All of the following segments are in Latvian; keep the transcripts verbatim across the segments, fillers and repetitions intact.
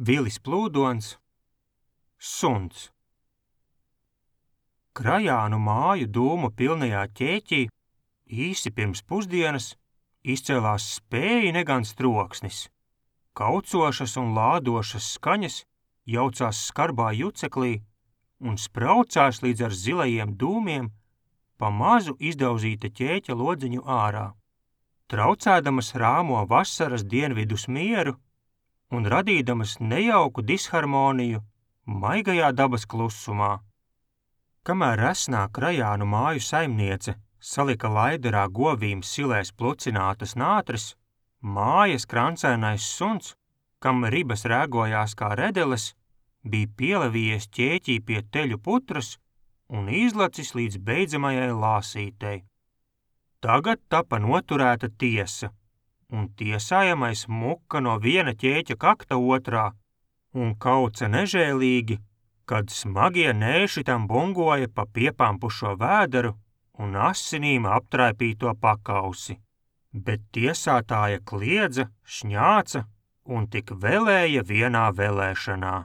Vilis plūdons, suns. Krajānu māju dūmu pilnajā ķēķī īsi pirms pusdienas izcēlās spēji negans troksnis. Kaucošas un lādošas skaņas jaucās skarbā juceklī un spraucās līdz ar zilajiem dūmiem pa mazu izdauzīta ķēķa lodziņu ārā, traucēdamas rāmo vasaras dienvidus mieru un radīdamas nejauku disharmoniju maigajā dabas klusumā. Kamēr resnā Krajānu māju saimniece salika laiderā govīm silēs plucinātas nātris, mājas krancēnais suns, kam ribas rēgojās kā redeles, bija pielavijies ķēķī pie teļu putras un izlacis līdz beidzamajai lāsītei. Tagad tapa noturēta tiesa, un tiesājamais muka no viena ķēķa kakta otrā un kauca nežēlīgi, kad smagie nēši tam bungoja pa piepampušo vēderu un asinīm aptraipīto pakausi, bet tiesātāja kliedza, šņāca un tik velēja vienā velēšanā.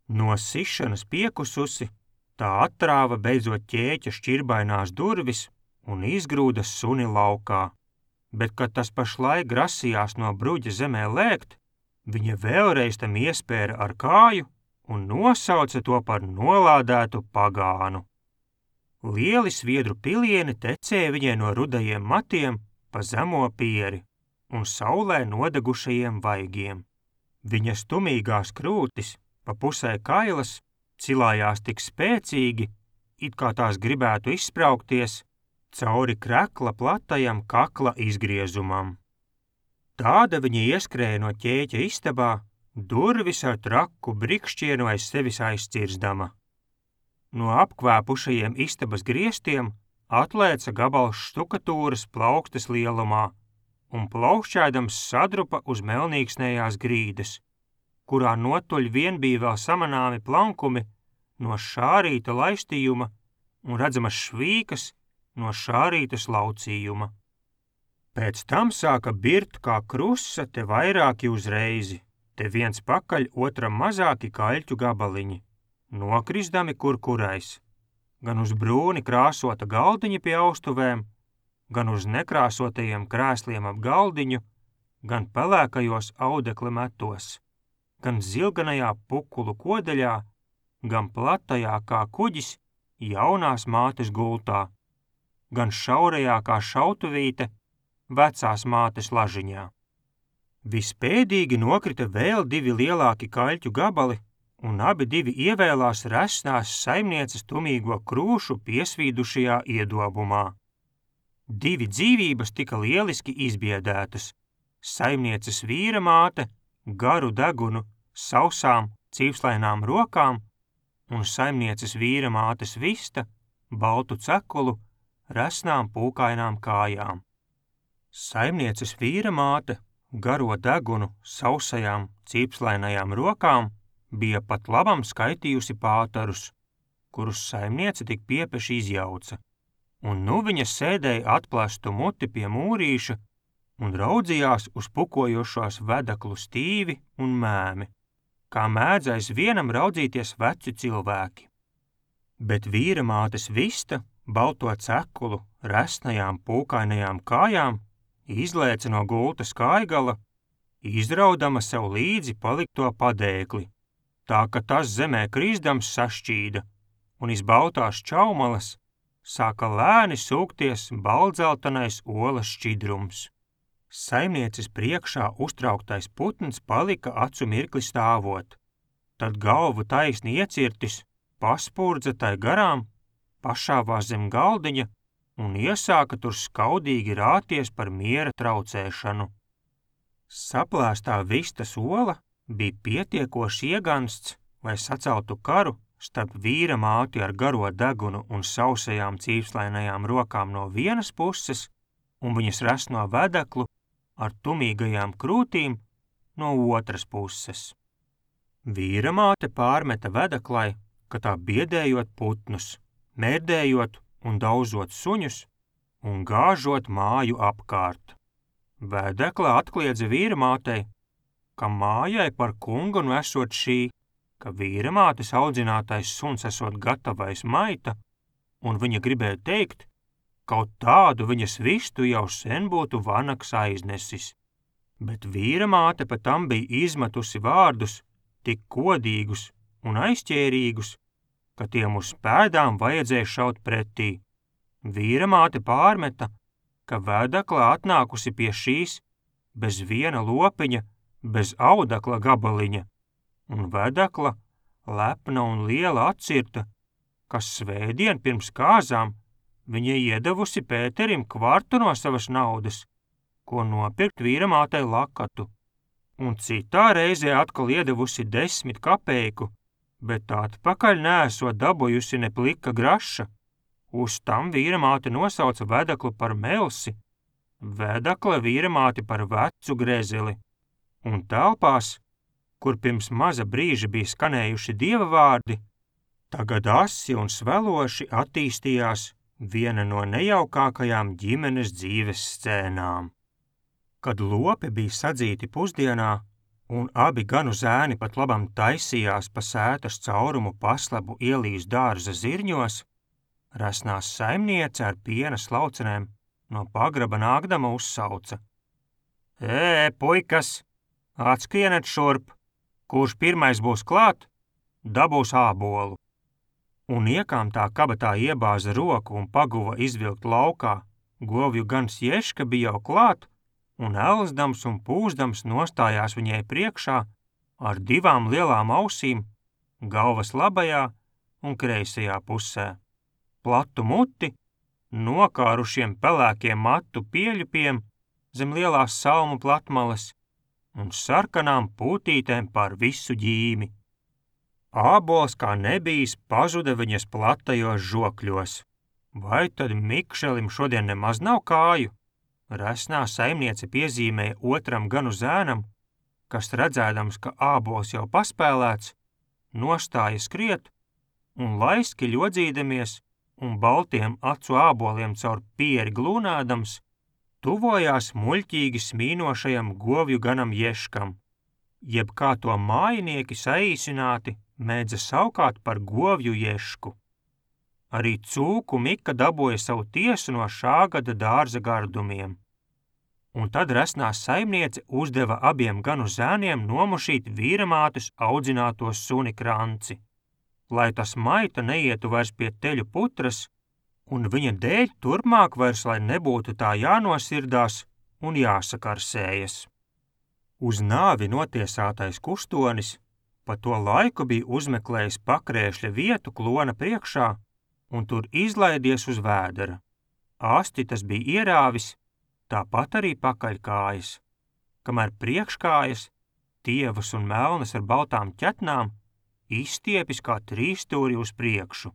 No sišanas piekususi, tā attrāva beidzot ķēķa šķirbainās durvis un izgrūda suni laukā, bet, kad tas pašlaik grasījās no bruģa zemē lēkt, viņa vēlreiz tam iespēra ar kāju un nosauca to par nolādētu pagānu. Lieli sviedru pilieni tecēja viņai no rudajiem matiem pa zemo pieri un saulē nodegušajiem vaigiem. Viņas tumīgās krūtis, pa pusē kailas, cilājās tik spēcīgi, it kā tās gribētu izspraukties cauri krekla platajam kakla izgriezumam. Tāda viņa ieskrēja no ķēķa istabā, durvis ar traku brikšķienu aiz sevis aizcirzdama. No apkvēpušajiem istabas griestiem atlēca gabals štukatūras plaukstas lielumā un plaukšķēdams sadrupa uz melnīksnējās grīdas, kurā notuļ vien bija vēl samanāmi plankumi no šārīta laistījuma un redzamas švīkas no šārītas laucījuma. Pēc tam sāka birt kā krusa te vairāki uzreizi, te viens pakaļ otram mazāki kaļķu gabaliņi, nokrisdami kur kurais, gan uz brūni krāsota galdiņa pie austuvēm, gan uz nekrāsotajiem krēsliem ap galdiņu, gan pelēkajos audekla metos, gan zilganajā pukulu kodeļā, gan platajā kā kuģis jaunās mātes gultā, gan šaurajā kā šautuvīte vecās mātes lažiņā. Vispēdīgi nokrita vēl divi lielāki kaļķu gabali, un abi divi ievēlās resnās saimnieces tumīgo krūšu piesvīdušajā iedobumā. Divi dzīvības tika lieliski izbiedētas. Saimnieces vīra māte, garu degunu, sausām, cīvslainām rokām, un saimnieces vīra mātes vista, baltu cekulu, resnām pūkainām kājām. Saimnieces vīra māte, garo degunu, sausajām, cīpslainajām rokām, bija pat labam skaitījusi pātarus, kurus saimniece tik piepeši izjauca, un nu viņa sēdēja atplastu muti pie mūrīša un raudzījās uz pukojošos vedeklu stīvi un mēmi, kā mēdz vienam raudzīties veci cilvēki. Bet vīra mātes vista, balto cekulu, resnajām pūkainajām kājām, izlēca no gultas kājgala, izraudama sev līdzi palikto padēkli, tā ka tas zemē krīzdams sašķīda, un iz baltās čaumalas sāka lēni sūkties baldzeltenais olas šķidrums. Saimnieces priekšā uztrauktais putns palika acu mirkli stāvot, tad galvu taisni iecirtis, paspurdza tai garām, pašāvās zem galdiņa un iesāka tur skaudīgi rāties par miera traucēšanu. Saplēstā vistas ola bija pietiekoši iegansts, lai saceltu karu starp vīra māti ar garo degunu un sausajām cīvslainajām rokām no vienas puses un viņas resno vedeklu ar tumīgajām krūtīm no otras puses. Vīra māte pārmeta vedeklai, ka tā biedējot putnus, mērdējot un dauzot suņus un gāžot māju apkārt. Vedekla atkliedza vīra mātei, ka mājai par kungu nu esot šī, ka vīramātes audzinātais suns esot gatavais maita, un viņa gribēja teikt, kaut tādu viņas vistu jau sen būtu vanaks aiznesis. Bet vīramāte pat tam bija izmetusi vārdus tik kodīgus un aizķērīgus, ka tiem uz pēdām vajadzēja šaut pretī. Vīramāte pārmeta, ka vēdakla atnākusi pie šīs bez viena lopiņa, bez audakla gabaliņa, un vēdakla, lepna un liela atcirta, kas svētdien pirms kāzām viņa iedevusi Pēterim kvartu no savas naudas, ko nopirkt vīramātei lakatu, un citā reizē atkal iedevusi desmit kapeiku, bet atpakaļ neesot dabūjusi ne plika graša. Uz tam vīramāte nosauca vedaklu par melsi, vedakla vīramāti par vecu grezeli, un telpās, kur pirms maza brīža bija skanējuši dieva vārdi, tagad asi un sveloši attīstījās viena no nejaukākajām ģimenes dzīves scēnām. Kad lopi bija sadzīti pusdienā, un abi ganu zēni pat labam taisījās pa sētas caurumu paslabu ielīs dārza zirņos, resnās saimniece ar piena slaucenēm no pagraba nākdama uzsauca: Ē, puikas, atskrieniet šurp, kurš pirmais būs klāt, dabūs ābolu. Un iekām tā kabatā iebāza roku un paguva izvilkt laukā, govju gans Ješka bija jau klāt, un elzdams un pūzdams nostājās viņai priekšā ar divām lielām ausīm, galvas labajā un kreisajā pusē, platu muti, nokārušiem pelēkiem matu pieļupiem zem lielās salmu platmalas un sarkanām pūtītēm par visu ģīmi. Ābols kā nebijis pazuda viņas platajos žokļos. Vai tad Mikšelim šodien nemaz nav kāju? Resnā saimniece piezīmēja otram ganu zēnam, kas redzēdams, ka ābols jau paspēlēts, nostāja skriet un laiski ļodzīdamies un baltiem acu āboliem caur pieri glūnādams, tuvojās muļķīgi smīnošajam govju ganam Ješkam, jeb kā to mājinieki saīsināti mēdza saukāt par govju Ješku. Arī cūku Mika dabūja savu tiesu no šā gada dārza gardumiem. Un tad resnā saimniece uzdeva abiem ganu zēniem nomušīt vīramātes audzināto suni Kranci, lai tas maita neietu vairs pie teļu putras, un viņa dēļ turpmāk vairs, lai nebūtu tā jānosirdās un jāsakarsējas. Uz nāvi notiesātais kustonis pa to laiku bija uzmeklējis pakrēšļa vietu klona priekšā un tur izlaidies uz vēdera. Asti tas bija ierāvis, tāpat arī pakaļkājas, kamēr priekškājas, tievas un melnas ar baltām ķetnām, izstiepis kā trīsstūri uz priekšu.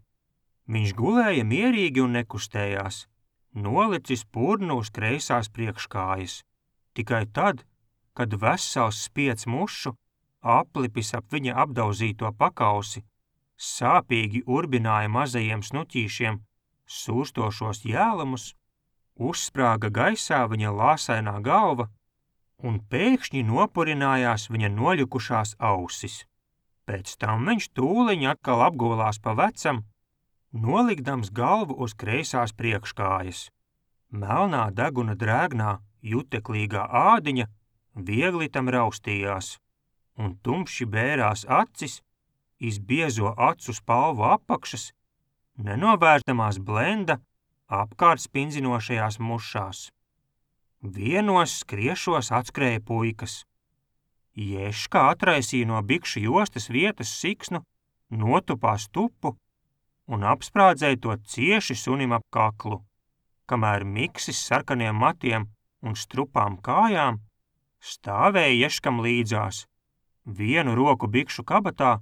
Viņš gulēja mierīgi un nekustējās, nolicis purnu uz kreisās priekškājas. Tikai tad, kad vesels spiec mušu, aplipis ap viņa apdauzīto pakausi, sāpīgi urbināja mazajiem snuķīšiem sūrstošos jēlumus, uzsprāga gaisā viņa lāsainā galva un pēkšņi nopurinājās viņa noļukušās ausis. Pēc tam viņš tūliņ atkal apgulās pa vecam, nolikdams galvu uz kreisās priekškājas. Melnā deguna drēgnā, juteklīgā ādiņa viegli tam raustījās, un tumši bērās acis, izbiezo acu spalvu apakšas, nenovērtamās blenda apkārt spinzinošajās mušās. Vienos skriešos atskrēja puikas. Ješka atraisīja no bikšu jostas vietas siksnu, notupās tupu un apsprādzēja to cieši sunim ap kaklu, kamēr Miksis sarkaniem matiem un strupām kājām stāvēja Ješkam līdzās, vienu roku bikšu kabatā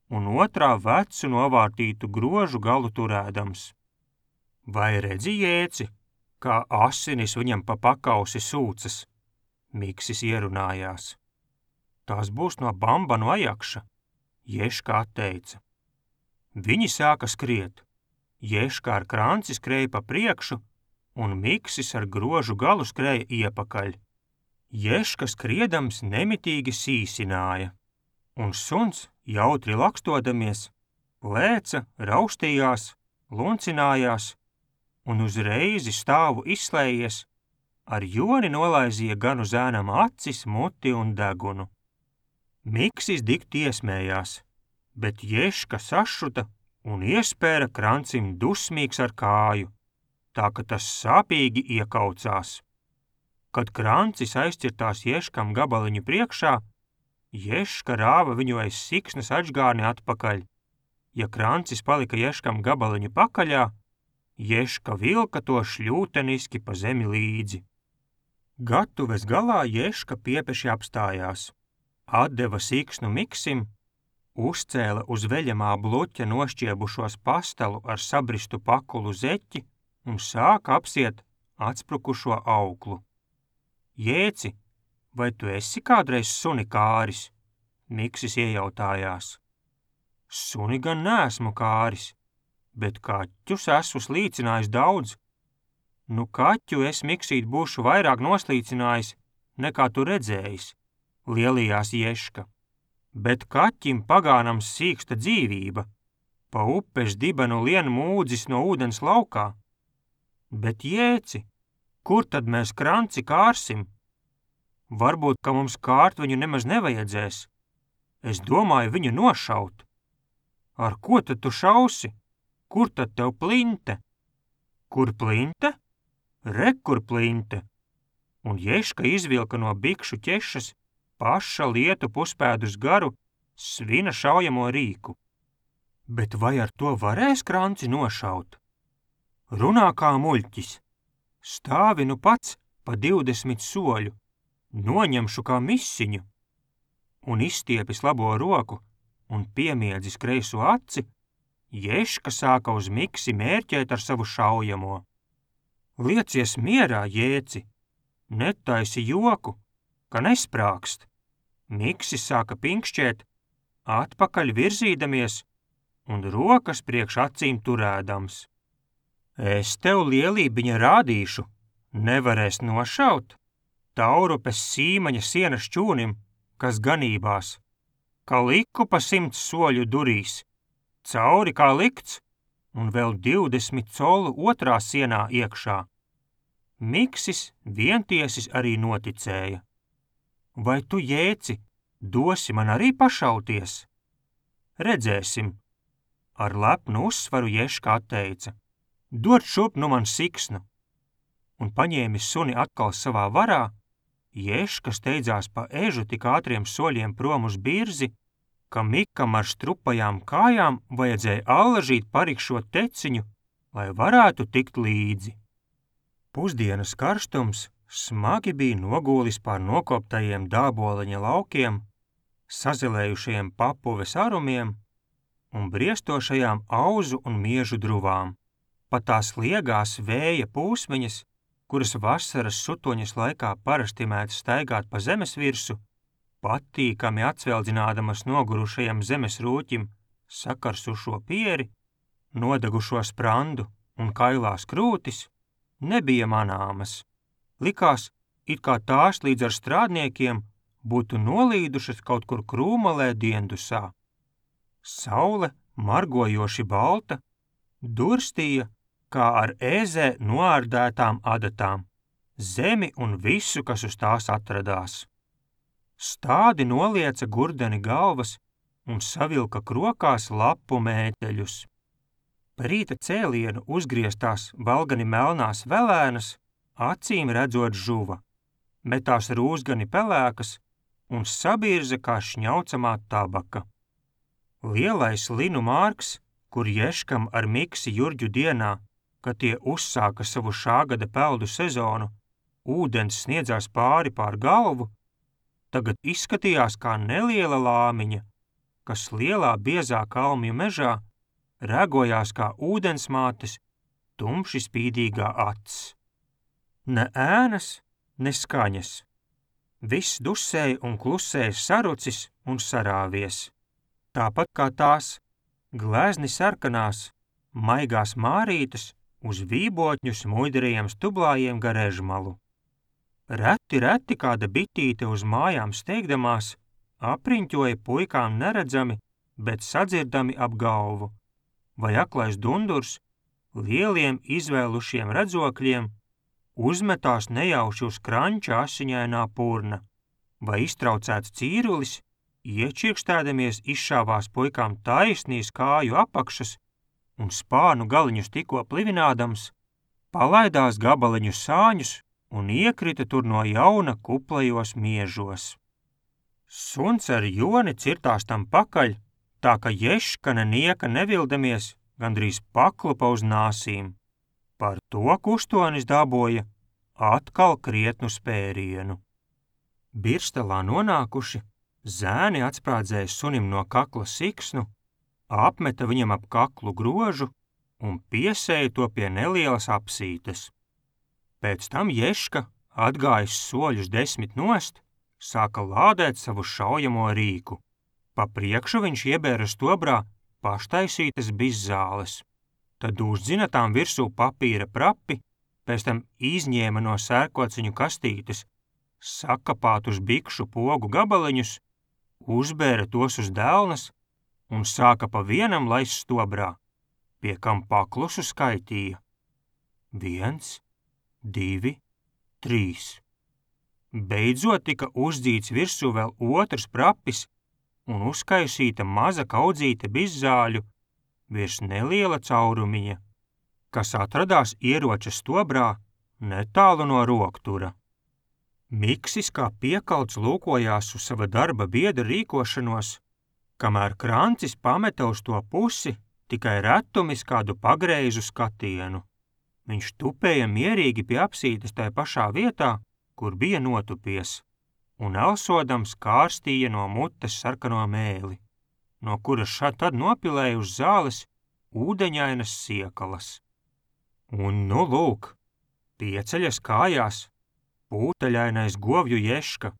un otrā vecu novārtītu grožu galu turēdams. Vai redzi, Jēci, kā asinis viņam pa pakausi sūcas? Miksis ierunājās. Tās būs no Bambanu ajakša, Ješka atteica. Viņi sāka skriet. Ješka ar Kranci skrēja pa priekšu, un Miksis ar grožu galu skrēja iepakaļ. Ješka skriedams nemitīgi sīsināja, un suns, jautri lakstodamies, lēca, raustījās, luncinājās, un uzreizi stāvu izslējies, ar joni nolaizīja gan uz ēnam acis, muti un degunu. Miksis dikti iesmējās, bet Ješka sašuta un iespēra Krancim dusmīgs ar kāju, tā ka tas sāpīgi iekaucās. Kad Krancis aizcirtās Ješkam gabaliņu priekšā, Ješka rāva viņu aiz siksnas atžgārni atpakaļ. Ja Krancis palika Ješkam gabaliņu pakaļā, Ješka vilka to šļūteniski pa zemi līdzi. Gatuves galā Ješka piepeši apstājās, atdeva siksnu Miksim, uzcēla uz veļamā bluķa nošķiebušos pastalu ar sabristu pakulu zeķi un sāka apsiet atsprukušo auklu. Jēci, vai tu esi kādreiz suni kāris? Miksis iejautājās. Suni gan neesmu kāris, bet kaķus esmu slīcinājis daudz. Nu kaķu es, Miksīt, būšu vairāk noslīcinājis, nekā tu redzējis, lielījās Ješka. Bet kaķim pagānam sīksta dzīvība, pa upes dibenu lien mūdzis no ūdens laukā. Bet Jēci, kur tad mēs Kranci kārsim? Varbūt, ka mums kārt viņu nemaz nevajadzēs. Es domāju viņu nošaut. Ar ko tad tu šausi? Kur tad tev plinte? Kur plinte? Re, kur plinte? Un Ješka izvilka no bikšu ķešas paša lietu puspēdus garu svina šaujamo rīku. Bet vai ar to varēs Kranci nošaut? Runā kā muļķis. Stāvi nu pats pa divdesmit soļu, noņemšu kā misiņu. Un izstiepis labo roku un piemiedzis kreiso aci, Ješka sāka uz Miksi mērķēt ar savu šaujamo. Liecies mierā, Jēci, netaisi joku, ka nesprākst. Miksis sāka pinkšķēt, atpakaļ virzīdamies un rokas priekš acīm turēdams. Es tev lielībiņa rādīšu, nevarēs nošaut. Taurupes sīmaņa sienas čūnim, kas ganībās, kā liku pa simts soļu durīs, cauri kā likts, un vēl divdesmit colu otrā sienā iekšā. Miksis vientiesis arī noticēja. Vai tu, Jēci, dosi man arī pašauties? Redzēsim. Ar lepnu uzsvaru Ješka atteica. Dod šup nu man siksnu. Un paņēmis suni atkal savā varā, Ješka steidzās pa ežu tik ātriem soļiem prom uz birzi, ka Mikam ar strupajām kājām vajadzēja allažīt parikšo teciņu, lai varētu tikt līdzi. Pusdienas karstums smagi bija nogūlis pār nokoptajiem dāboliņa laukiem, sazelējušajiem papuves arumiem un briestošajām auzu un miežu druvām. Pa tās liegās vēja pūsmiņas, kuras vasaras sutoņas laikā parasti mēdz staigāt pa zemes virsu, patīkami atsveldzinādamas nogurušajam zemes rūķim sakarsušo pieri, nodegušo sprandu un kailās krūtis, nebija manāmas. Likās, it kā tās līdz ar strādniekiem būtu nolīdušas kaut kur krūmalē diendusā. Saule, margojoši balta, durstīja, kā ar ēzē noārdētām adatām, zemi un visu, kas uz tās atradās. Stādi nolieca gurdeni galvas un savilka krokās lapu mēteļus. Pa rīta cēlienu uzgrieztās valgani melnās velēnas, acīm redzot žuva, metās rūzgani pelēkas un sabirza kā šņaucamā tabaka. Lielais linu mārks, kur Ješkam ar Miksi Jurģu dienā, kad tie uzsāka savu šāgada peldu sezonu, ūdens sniedzās pāri pār galvu, tagad izskatījās kā neliela lāmiņa, kas lielā biezā kalmju mežā regojās kā ūdensmātes tumši spīdīgā acs. Ne ēnas, ne skaņas. Viss dusēja un klusēja sarucis un sarāvies. Tāpat kā tās glezni sarkanās, maigās mārītes uz vībotņu smuiderajiem stublājiem gar ežmalu. Reti, reti kāda bitīte uz mājām steigdamās apriņķoja puikām neredzami, bet sadzirdami ap galvu, vai aklais dundurs lieliem izvēlušiem redzokļiem uzmetās nejauši uz kranča asiņainā purna, vai iztraucēts cīrulis, iečirkstēdamies izšāvās puikām taisnīs kāju apakšas un spānu galiņus tikko plivinādams, palaidās gabaliņu sāņus un iekrita tur no jauna kuplajos miežos. Suns ar joni cirtās tam pakaļ, tā ka Ješka ne nieka nevildamies, gandrīz paklupa uz nāsīm. Par to kustonis daboja atkal krietnu spērienu. Birstalā nonākuši, zēni atsprādzēja sunim no kakla siksnu, apmeta viņam ap kaklu grožu un piesēja to pie nelielas apsītes. Pēc tam Ješka, atgājis soļus desmit nost, sāka lādēt savu šaujamo rīku. Pa priekšu viņš iebēra stobrā paštaisītas bizzāles. Tad uzdzina tām virsū papīra prapi, pēc tam izņēma no sērkociņu kastītes sakapātus bikšu pogu gabaliņus, uzbēra tos uz dēlnas un sāka pa vienam laist stobrā, pie kam paklusu skaitīja. Viens, divi, trīs. Beidzot tika uzdzīts virsū vēl otrs prapis un uzkaisīta maza kaudzīte bizzāļu virs neliela caurumiņa, kas atradās ieroča stobrā netālu no roktura. Miksis kā piekalts lūkojās uz sava darba biedra rīkošanos, kamēr Krancis pameta uz to pusi tikai retumis kādu pagreizu skatienu. Viņš tupēja mierīgi pie apsītes tai pašā vietā, kur bija notupies, un elsodams kārstīja no mutes sarkano mēli, no kuras šad tad nopilēja uz zāles ūdeņainas siekalas. Un nu lūk, pieceļas kājās pūtaļainais govju Ješka,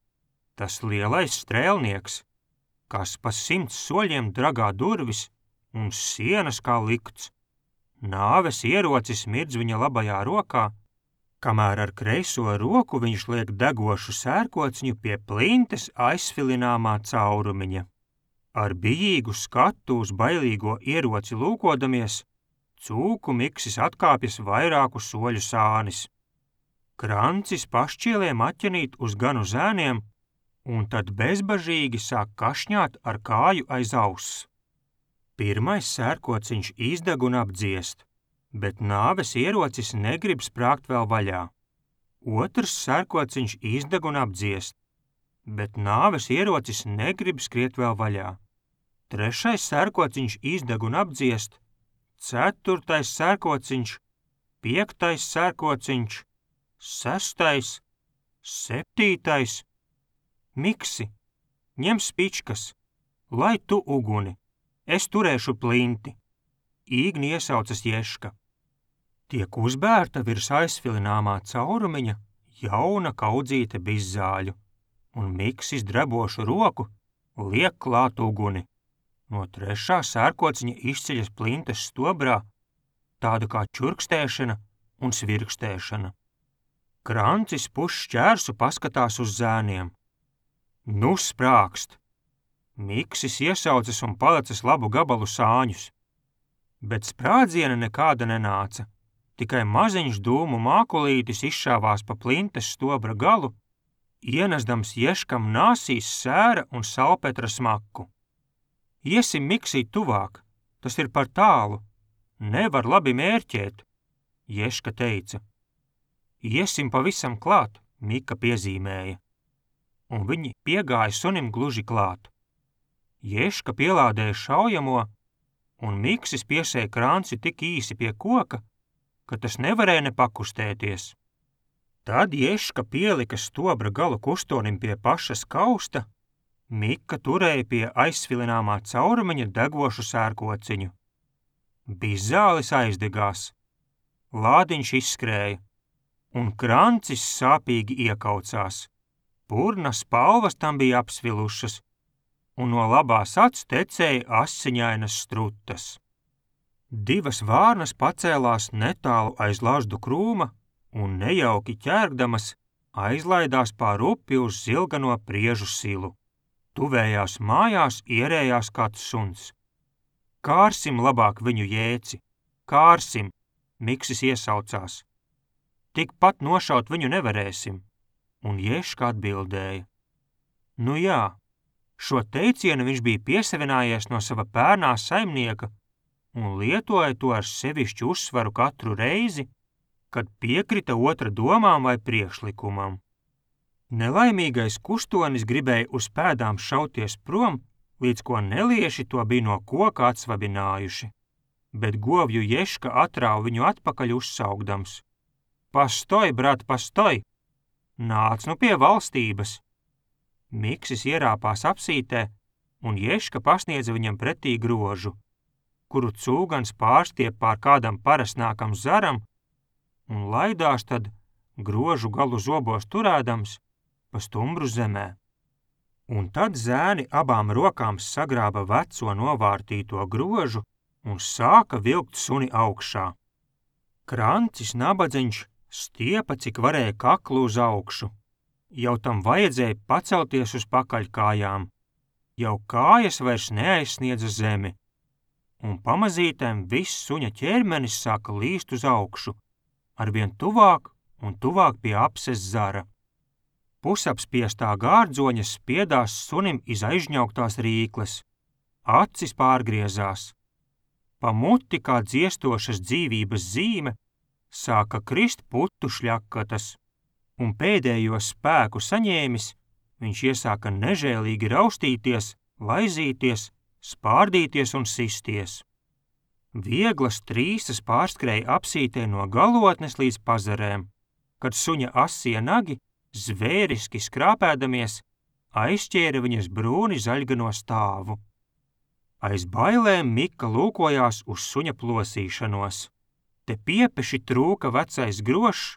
tas lielais strēlnieks, kas pa simts soļiem dragā durvis un sienas kā likts. Nāves ierocis mirdz viņa labajā rokā, kamēr ar kreiso roku viņš liek degošu sērkociņu pie plintes aizsvilināmā caurumiņa. Ar bijīgu skatu uz bailīgo ieroci lūkodamies, cūku Miksis atkāpjas vairāku soļu sānis. Krancis pašķieliem atķenīt uz ganu zēniem, un tad bezbažīgi sāk kašņāt ar kāju aiz auss. Pirmais sērkociņš izdeg un apdziest, bet nāves ierocis negrib sprāgt vēl vaļā. Otrs sērkociņš izdeg un apdziest, bet nāves ierocis negrib skriet vēl vaļā. Trešais sērkociņš izdeg un apdziest, ceturtais sērkociņš, piektais sērkociņš, sestais, septītais. Miksi, ņem spičkas, lai tu uguni, es turēšu plinti. Īgni iesaucas Ješka. Tiek uzbērta virs aizsvilināmā caurumiņa jauna kaudzīte bizzāļu, un Miksis drebošu roku liek klāt uguni. No trešā sērkociņa izceļas plintes stobrā, tāda kā čurkstēšana un svirkstēšana. Krancis pušķērsu paskatās uz zēniem. Nu sprākst! Miksis iesaucas un palecis labu gabalu sāņus, bet sprādziena nekāda nenāca, tikai maziņš dūmu mākulītis izšāvās pa plintes stobra galu, ienesdams Ješkam nāsīs sēra un salpetra smaku. Iesim Miksī tuvāk, tas ir par tālu, nevar labi mērķēt, Ješka teica. Iesim pavisam klāt, Mika piezīmēja, un viņi piegāja sunim gluži klāt. Ješka pielādēja šaujamo, un Miksis piesēja Kranci tik īsi pie koka, ka tas nevarēja ne pakustēties. Tad Ješka pielika stobra galu kustonim pie pašas kausta, Mika turēja pie aizsvilināmā caurumiņa degošu sērkociņu. Bizzālis aizdegās, lādiņš izskrēja, un Krancis sāpīgi iekaucās. Purna spalvas tam bija apsvilušas, un no labās acs tecēja asiņainas strutas. Divas vārnas pacēlās netālu aiz lazdu krūma un nejauki ķērgdamas aizlaidās pār upi uz zilgano priežu silu. Tuvējās mājās ierējās kāds suns. Kārsim labāk viņu jēci, kārsim, Miksis iesaucās. Tikpat nošaut viņu nevarēsim, un Ješka atbildēja. Nu jā, šo teicienu viņš bija piesavinājies no sava pērnā saimnieka un lietoja to ar sevišķu uzsvaru katru reizi, kad piekrita otra domām vai priekšlikumam. Nelaimīgais kustonis gribēja uz pēdām šauties prom, līdz ko nelieši to bija no koka atsvabinājuši, bet govju Ješka atrāva viņu atpakaļ uzsaugdams. Pastoj, brat, pastoj! Nāc nu pie valstības! Miksis ierāpās apsītē, un Ješka pasniedza viņam pretī grožu, kuru cūgans pārstiep pār kādam parasnākam zaram, un laidās tad, grožu galu zobos turēdams, pa stumbru zemē. Un tad zēni abām rokām sagrāba veco novārtīto grožu un sāka vilkt suni augšā. Krancis nabadzeņš stiepa, cik varēja kaklu uz augšu. Jau tam vajadzēja pacelties uz pakaļkājām. Jau kājas vairs neaizsniedza zemi. Un pamazītēm viss suņa ķermenis sāka līst uz augšu, arvien tuvāk un tuvāk pie apses zara. Pusapspiestā gārdzoņa spiedās sunim iz aizņauktās rīkles. Acis pārgriezās. Pa muti kā dziestošas dzīvības zīme sāka krist putu šļakatas, un pēdējo spēku saņēmis, viņš iesāka nežēlīgi raustīties, laizīties, spārdīties un sisties. Vieglas trīsas pārskrēja apsītē no galotnes līdz pazarēm, kad suņa asie nagi, zvēriski skrāpēdamies, aizķēra viņas brūni zaļgano stāvu. Aiz bailēm Mika lūkojās uz suņa plosīšanos. Te piepeši trūka vecais grošs,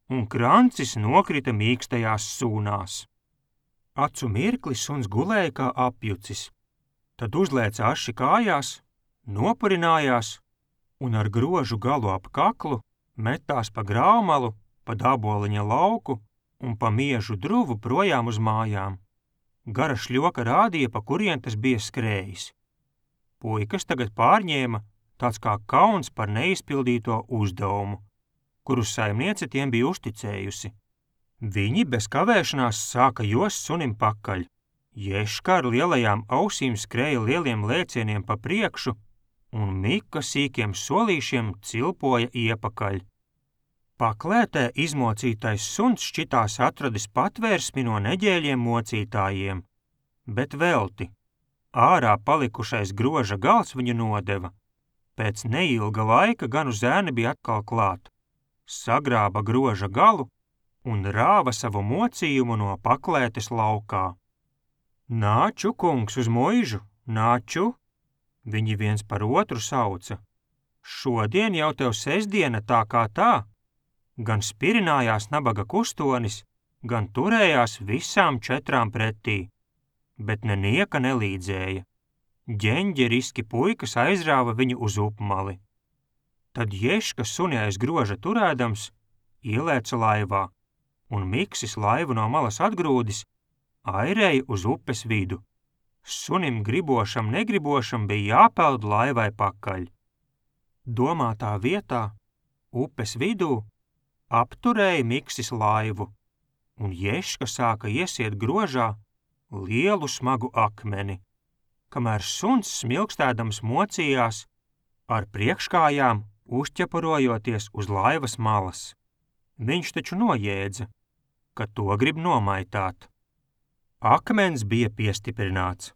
un krancis nokrita mīkstajās sūnās. Acu mirkli suns gulēja kā apjucis, tad uzlēca aši kājās, nopurinājās un ar grožu galu ap kaklu metās pa graumalu, pa daboliņa lauku un pa miežu druvu projām uz mājām. Gara šļoka rādīja, pa kurien tas bija skrējis. Puikas tagad pārņēma tāds kā kauns par neizpildīto uzdevumu, kuru saimniece tiem bija uzticējusi. Viņi bez kavēšanās sāka jost sunim pakaļ. Ješka ar lielajām ausīm skrēja lieliem lēcieniem pa priekšu, un Mika sīkiem solīšiem cilpoja iepakaļ. Paklētē izmocītais suns šķitās atradis patvērsmi no neģēļiem mocītājiem, bet velti. Ārā palikušais groža gals viņu nodeva. Pēc neilga laika ganu zēni bija atkal klāt. Sagrāba groža galu un rāva savu mocījumu no paklētes laukā. Nāču, kungs, uz muižu, nāču! Viņi viens par otru sauca. Šodien jau tev sestdiena tā kā tā. Gan spirinājās nabaga kustonis, gan turējās visām četrām pretī, bet nenieka nelīdzēja. Ģeņģeriski puikas aizrāva viņu uz upmali. Tad Ješka suni aiz groža turēdams ielēca laivā, un Miksis laivu no malas atgrūdis, airēja uz upes vidu. Sunim gribošam negribošam bija jāpeld laivai pakaļ. Domātā vietā, upes vidū, apturēja Miksis laivu, un Ješka sāka iesiet grožā lielu smagu akmeni, kamēr suns smilkstēdams mocījās, ar priekškājām uzķepurojoties uz laivas malas. Viņš taču nojēdza, ka to grib nomaitāt. Akmens bija piestiprināts.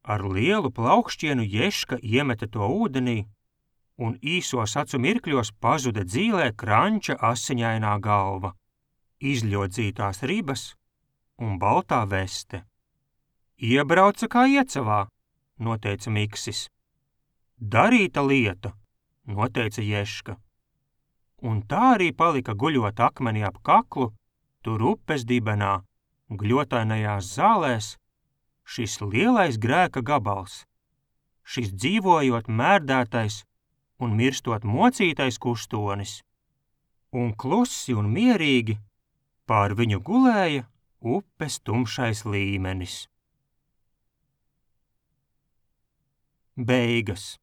Ar lielu plaukšķienu Ješka iemeta to ūdenī, un īsos acu mirkļos pazuda dzīlē kranča asiņainā galva, izļodzītās ribas un baltā veste. Iebrauca kā iecavā, noteica Miksis. Darīta lieta, noteica Ješka. Un tā arī palika guļot akmeni ap kaklu, tur upes dibenā, gļotainajās zālēs, šis lielais grēka gabals, šis dzīvojot mērdētais un mirstot mocītais kustonis. Un klusi un mierīgi Pār viņu gulēja upes tumšais līmenis. Beigas.